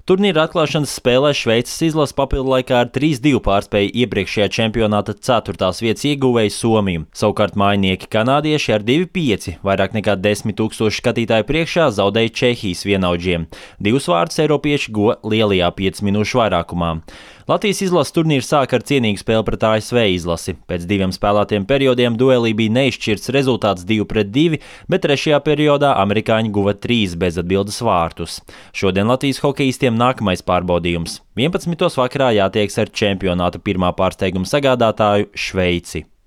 Turnīra atklāšanas spēlē Šveices izlase papildu laikā ar 3-2 pārspēja iepriekšējā čempionāta 4. vietas ieguvēju Somiju. Savukārt mājinieki kanādieši ar 2-5 vairāk nekā 10 000 skatītāju priekšā zaudēja Čehijas vienaudžiem. 2 vārdus eiropieši guva lielajā 5 minūšu vairākumā. Latvijas izlases turnīrs sāka ar cienīgu spēli pret ASV izlasi. Pēc 2 spēlētiem periodiem duelī bija neizšķirts rezultāts 2-2, bet 3. periodā amerikāņi guva 3 bezatbildes vārtus. Šodien Latvijas hokejistiem nākamais pārbaudījums. 11. vakarā jātiekas ar čempionāta pirmā pārsteiguma sagādātāju Šveici.